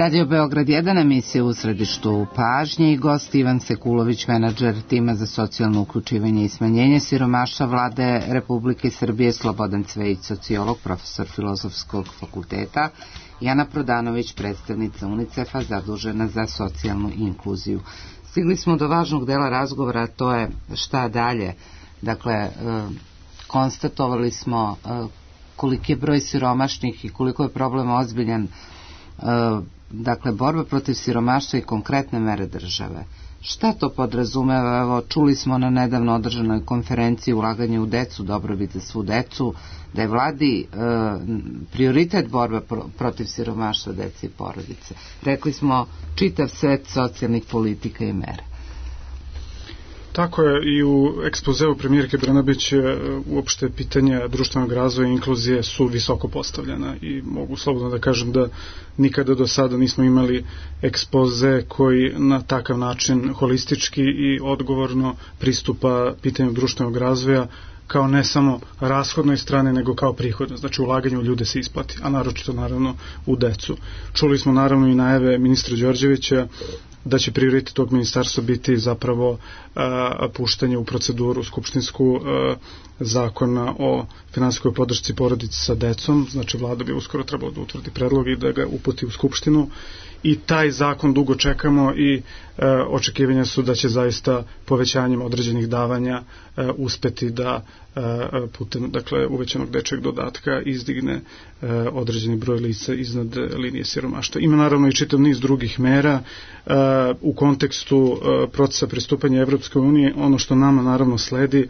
Radio Beograd jedan, emisija U središtu pažnje i gost Ivan Sekulović, menadžer tima za socijalno uključivanje i smanjenje siromaštva Vlade Republike Srbije, Slobodan Cvejić, sociolog, profesor Filozofskog fakulteta, Jana Prodanović, predstavnica UNICEF-a zadužena za socijalnu inkluziju. Stigli smo do važnog dela razgovora, to je šta dalje. Dakle, konstatovali smo koliki je broj siromašnih i koliko je problem ozbiljan. Dakle, borba protiv siromaštva i konkretne mere države. Šta to podrazumeva? Evo, čuli smo na nedavno održanoj konferenciji ulaganje u decu, dobrobit za svu decu, da je vladi e, prioritet borba pro, protiv siromaštva dece i porodice. Rekli smo čitav set socijalnih politika i mera. Tako je, i u ekspozeu premijerke Brnabić uopšte pitanja društvenog razvoja i inkluzije su visoko postavljena i mogu slobodno da kažem da nikada do sada nismo imali ekspoze koji na takav način holistički i odgovorno pristupa pitanju društvenog razvoja kao ne samo rashodnoj strane, nego kao prihodno. Znači, ulaganje u ljude se isplati, a naročito naravno u decu. Čuli smo naravno i najave ministra Đorđevića da će prioritet tog ministarstva biti zapravo a, puštanje u proceduru skupštinsku a, zakona o finansijskoj podršci porodici sa decom. Znači, vlada bi uskoro trebalo da utvrdi predlog i da ga uputi u skupštinu. I taj zakon dugo čekamo i e, očekivanja su da će zaista povećanjem određenih davanja e, uspeti da e, putem, dakle, uvećanog dečjeg dodatka izdigne e, određeni broj lica iznad linije siromaštva. Ima naravno i čitav niz drugih mera e, u kontekstu e, procesa pristupanja Evropskoj uniji. Ono što nama naravno sledi, e,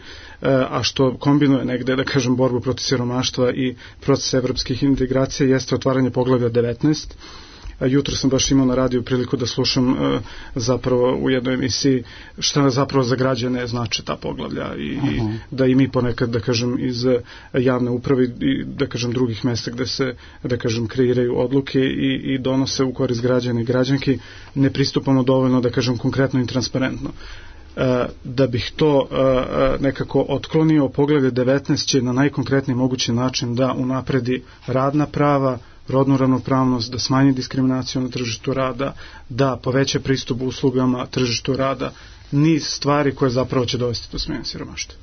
a što kombinuje negde, da kažem, borbu protiv siromaštva i proces evropskih integracija, jeste otvaranje poglavlja devetnaest. jutro sam baš imao na radiju priliku da slušam zapravo u jednoj emisiji šta zapravo za građane znači ta poglavlja i, uh-huh. i da i mi ponekad, da kažem, iz javne uprave i da kažem drugih mesta gde se, da kažem, kreiraju odluke i, i donose u korist građana i građanki, ne pristupamo dovoljno, da kažem, konkretno i transparentno. Da bih to nekako otklonio, poglavlje devetnaest će na najkonkretniji mogući način da unapredi radna prava, rodnu ravnopravnost, da smanji diskriminaciju na tržištu rada, da poveća pristup uslugama tržištu rada, niz stvari koje zapravo će dovesti do smanjenja siromaštva.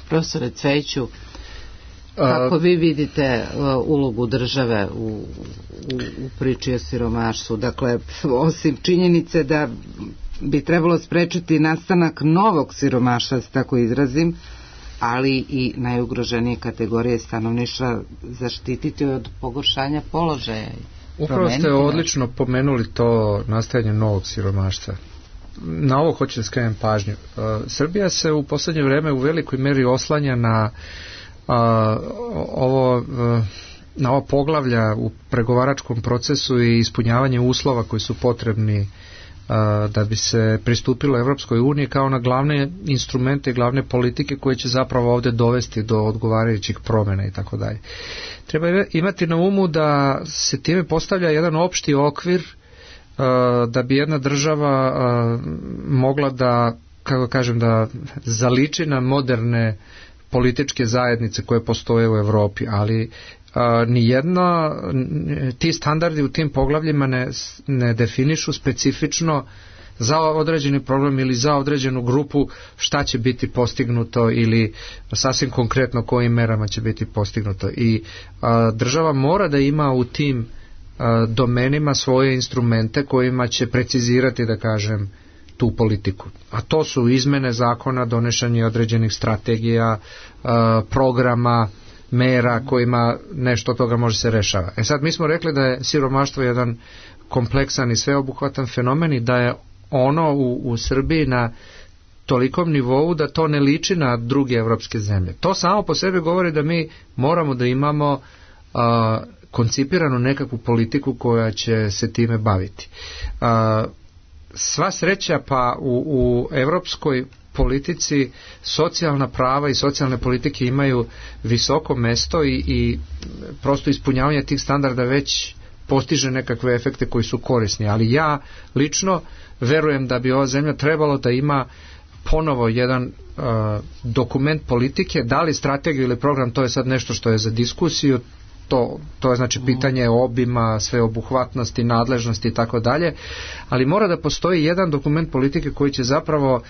Profesore Cvejiću, kako vi vidite ulogu države u, u, u priči o siromaštvu? Dakle, osim činjenice da bi trebalo sprečiti nastanak novog siromaštva, da se tako izrazim, ali i najugroženije kategorije stanovništva zaštititi od pogoršanja položaja. Upravo ste odlično pomenuli to nastajanje novog siromaštva. Na ovo hoću da skrenem pažnju. Srbija se u poslednje vreme u velikoj meri oslanja na ovo na ovo poglavlja u pregovaračkom procesu i ispunjavanje uslova koji su potrebni da bi se pristupilo Evropskoj uniji kao na glavne instrumente, glavne politike koje će zapravo ovde dovesti do odgovarajućih promjena i tako dalje. Treba imati na umu da se time postavlja jedan opšti okvir da bi jedna država mogla da, kako kažem, da zaliči na moderne političke zajednice koje postoje u Evropi, ali a, nijedno, ti standardi u tim poglavljima ne, ne definišu specifično za određeni problem ili za određenu grupu šta će biti postignuto ili sasvim konkretno kojim merama će biti postignuto. I a, država mora da ima u tim a, domenima svoje instrumente kojima će precizirati, da kažem, tu politiku. A to su izmene zakona, donošenje određenih strategija, programa, mera kojima nešto od toga može se rešava. E sad, mi smo rekli da je siromaštvo jedan kompleksan i sveobuhvatan fenomen i da je ono u, u Srbiji na tolikom nivou da to ne liči na druge evropske zemlje. To samo po sebi govori da mi moramo da imamo a, koncipiranu nekakvu politiku koja će se time baviti. A, sva sreća, pa u, u evropskoj politici socijalna prava i socijalne politike imaju visoko mesto i, i prosto ispunjavanje tih standarda već postiže nekakve efekte koji su korisni, ali ja lično verujem da bi ova zemlja trebalo da ima ponovo jedan uh, dokument politike, da li strategiju ili program, to je sad nešto što je za diskusiju, to, to je znači pitanje obima, sveobuhvatnosti, nadležnosti i tako dalje, ali mora da postoji jedan dokument politike koji će zapravo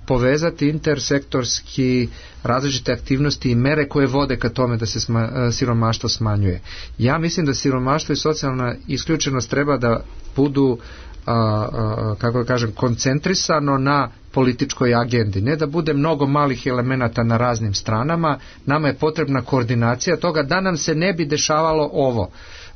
povezati intersektorski različite aktivnosti i mere koje vode ka tome da se sma, siromaštvo smanjuje. Ja mislim da siromaštvo i socijalna isključenost treba da budu a, a, kako da kažem, koncentrisano na političkoj agendi, ne da bude mnogo malih elemenata na raznim stranama. Nama je potrebna koordinacija toga da nam se ne bi dešavalo ovo,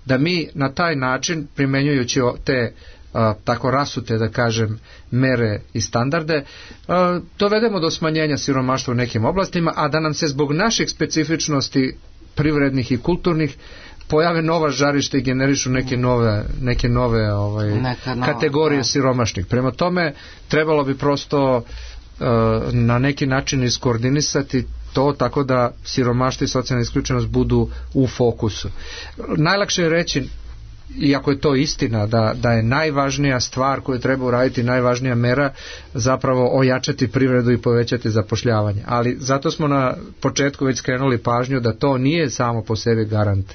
da mi na taj način, primenjujući te a, tako rasute, da kažem, mere i standarde, a, dovedemo do smanjenja siromaštva u nekim oblastima, a da nam se zbog naših specifičnosti privrednih i kulturnih pojave nova žarišta i generišu neke nove, neke nove ovaj, nova, kategorije da. siromašnih. Prema tome, trebalo bi prosto uh, na neki način iskoordinisati to tako da siromaštvo i socijalna isključenost budu u fokusu. Najlakše je reći, iako je to istina, da, da je najvažnija stvar koju treba uraditi, najvažnija mera zapravo ojačati privredu i povećati zapošljavanje. Ali zato smo na početku već skrenuli pažnju da to nije samo po sebi garant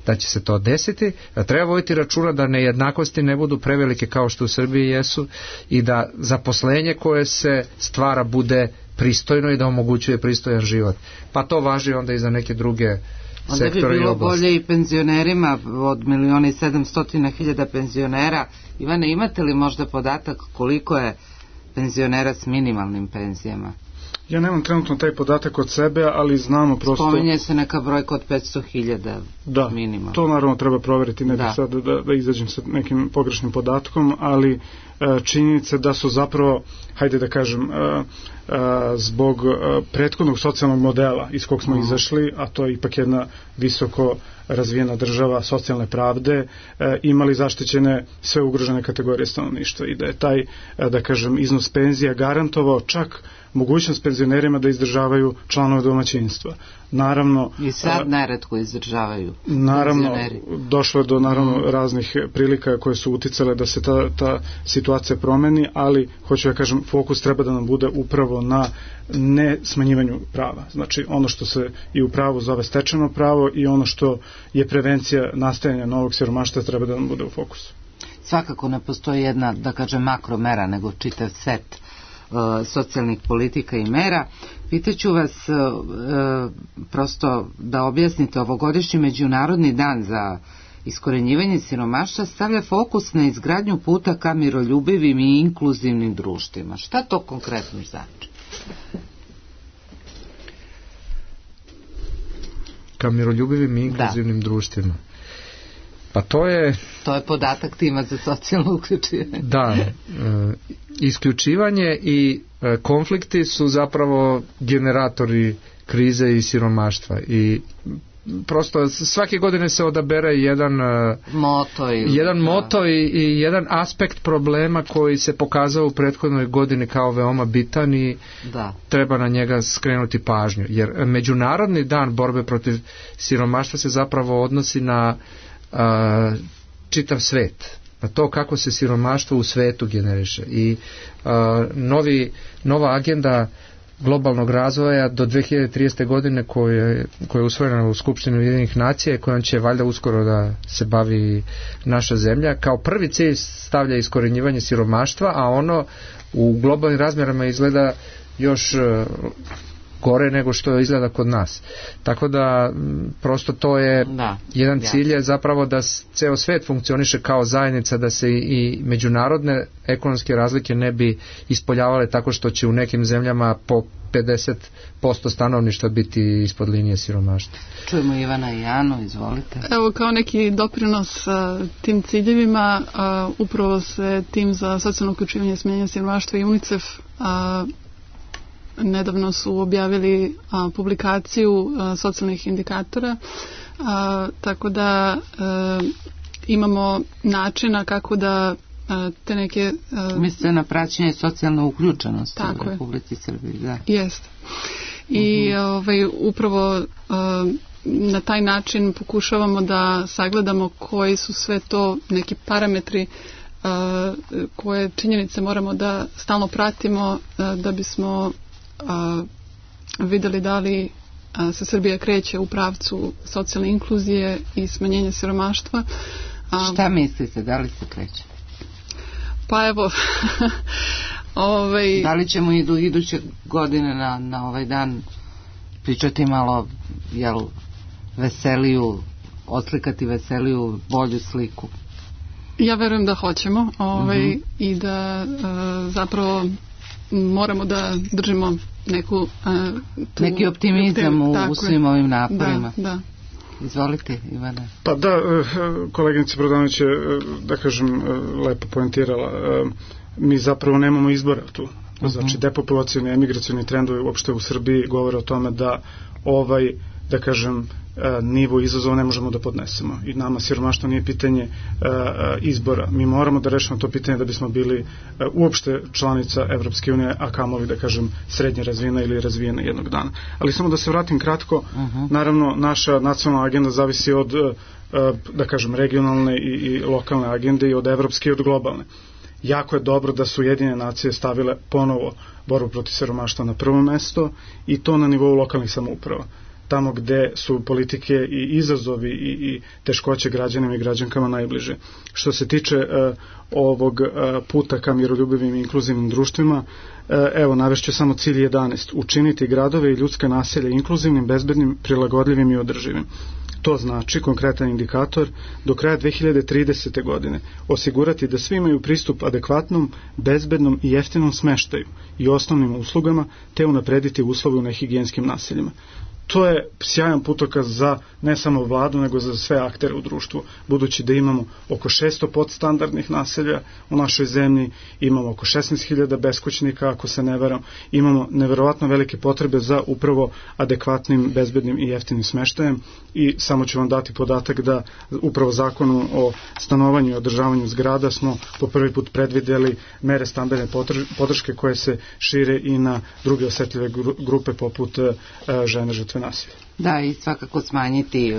da će se to desiti, da treba voditi računa da nejednakosti ne budu prevelike kao što u Srbiji jesu i da zaposlenje koje se stvara bude pristojno i da omogućuje pristojan život. Pa to važi onda i za neke druge onda bi bilo bolje i penzionerima od miliona i sedamstotina hiljada penzionera. Ivane, imate li možda podatak koliko je penzionera s minimalnim penzijama? Ja nemam trenutno taj podatak od sebe, ali znamo prosto... Spominje se neka brojka od petsto hiljada da, minimum. To naravno treba proveriti, ne bih sad da, da izađem sa nekim pogrešnim podatkom, ali e, činjenice da su zapravo, hajde da kažem, e, e, zbog e, prethodnog socijalnog modela iz kog smo mm. izašli, a to je ipak jedna visoko razvijena država socijalne pravde, e, imali zaštićene sve ugrožene kategorije stanovništva i da je taj, e, da kažem, iznos penzija garantovao čak mogućnost penzionerima da izdržavaju članove domaćinstva. Naravno... I sad neretko izdržavaju naravno, penzioneri. Došlo je do naravno mm. raznih prilika koje su uticale da se ta, ta situacija promeni, ali, hoću da kažem, fokus treba da nam bude upravo na ne smanjivanju prava. Znači, ono što se i u pravu zove stečeno pravo i ono što je prevencija nastajanja novog siromaštva treba da nam bude u fokusu. Svakako ne postoji jedna, da kažem, makromera, nego čitav set socijalnih politika i mera. Pitaću vas e, prosto da objasnite, ovogodišnji Međunarodni dan za iskorenjivanje siromaštva stavlja fokus na izgradnju puta ka miroljubivim i inkluzivnim društvima. Šta to konkretno znači? Ka miroljubivim i inkluzivnim da. društvima. Pa to je... To je podatak tima za socijalno uključivanje. Da, e, isključivanje i e, konflikti su zapravo generatori krize i siromaštva i prosto svake godine se odabere jedan moto, ili, jedan da. moto i, i jedan aspekt problema koji se pokazao u prethodnoj godini kao veoma bitan i da. treba na njega skrenuti pažnju. Jer Međunarodni dan borbe protiv siromaštva se zapravo odnosi na a, čitav svet, na to kako se siromaštvo u svetu generiše i a, novi, nova agenda globalnog razvoja do dve hiljade tridesete godine koja, koja je usvojena u Skupštini Ujedinjenih nacija, kojom će valjda uskoro da se bavi naša zemlja, kao prvi cilj stavlja iskorenjivanje siromaštva, a ono u globalnim razmjerama izgleda još gore nego što izgleda kod nas. Tako da prosto to je da, jedan cilj je zapravo da ceo svet funkcioniše kao zajednica, da se i međunarodne ekonomske razlike ne bi ispoljavale tako što će u nekim zemljama po pedeset posto stanovništva biti ispod linije siromaštva. Čujemo Ivana i Janu, izvolite. Evo, kao neki doprinos a, tim ciljevima, a, upravo se tim za socijalno uključivanje i smanjenje siromaštva i UNICEF a, nedavno su objavili a, publikaciju a, socijalnih indikatora, a, tako da a, imamo načina kako da a, te neke... A, Mislite na praćenje socijalne uključenosti u Republici Srbiji, da. Jeste. I uh-huh. ovaj, upravo a, na taj način pokušavamo da sagledamo koji su sve to neki parametri a, koje činjenice moramo da stalno pratimo a, da bismo A, videli da li a, se Srbija kreće u pravcu socijalne inkluzije i smanjenja siromaštva. A, Šta mislite, da li se kreće? Pa evo ovaj, da li ćemo idu, iduće godine na, na ovaj dan pričati malo jel, veseliju, oslikati veseliju, bolju sliku? Ja verujem da hoćemo ovaj, uh-huh. i da a, zapravo moramo da držimo neku uh, tu, neki optimizam u, u svim ovim naporima. Da, da. Izvolite, Ivane. Pa da, koleginica Brodanović je, da kažem, lepo poentirala. Mi zapravo nemamo izbora tu. Znači, depopulacijni, emigracijni trendovi uopšte u Srbiji govore o tome da ovaj, da kažem, nivo izazova ne možemo da podnesemo. I nama siromaštvo nije pitanje uh, izbora. Mi moramo da rešimo to pitanje da bismo bili uh, uopšte članica Evropske unije, a kamoli da kažem srednje razvijena ili razvijena jednog dana. Ali samo da se vratim kratko, uh-huh. naravno naša nacionalna agenda zavisi od uh, da kažem regionalne i, i lokalne agende i od evropske i od globalne. Jako je dobro da su Ujedinjene nacije stavile ponovo borbu protiv siromaštva na prvo mesto i to na nivou lokalnih samouprava. Tamo gde su politike i izazovi i, i teškoće građanima i građankama najbliže. Što se tiče uh, ovog uh, puta ka miroljubivim i inkluzivnim društvima, uh, evo, navešću samo cilj jedanaest. Učiniti gradove i ljudska naselja inkluzivnim, bezbednim, prilagodljivim i održivim. To znači, konkretan indikator, do kraja dve hiljade tridesete. godine osigurati da svi imaju pristup adekvatnom, bezbednom i jeftinom smeštaju i osnovnim uslugama, te unaprediti uslove u nehigijenskim naseljima. To je sjajan putokaz za ne samo vladu, nego za sve aktere u društvu, budući da imamo oko šesto podstandardnih naselja u našoj zemlji, imamo oko šesnaest hiljada beskućnika, ako se ne varam, imamo neverovatno velike potrebe za upravo adekvatnim, bezbednim i jeftinim smeštajem i samo ću vam dati podatak da upravo zakonu o stanovanju i održavanju zgrada smo po prvi put predvidjeli mere standardne podrške koje se šire i na druge osetljive grupe poput žene žrtve nasilja. Da, i svakako smanjiti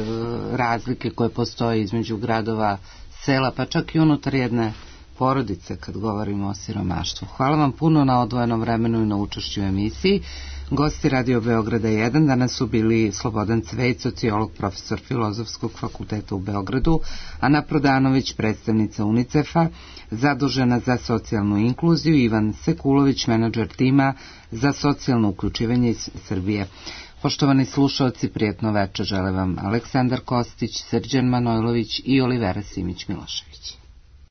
razlike koje postoje između gradova, sela, pa čak i unutar jedne porodice kad govorimo o siromaštvu. Hvala vam puno na odvojenom vremenu i na učešću u emisiji. Gosti Radio Beograda jedan danas su bili Slobodan Cvejić, sociolog, profesor Filozofskog fakulteta u Beogradu, Ana Prodanović, predstavnica UNICEF-a, zadužena za socijalnu inkluziju, Ivan Sekulović, menadžer tima za socijalno uključivanje iz Srbije. Poštovani slušalci, prijatno večer žele vam Aleksandar Kostić, Srđan Manojlović i Olivera Simić-Milošević.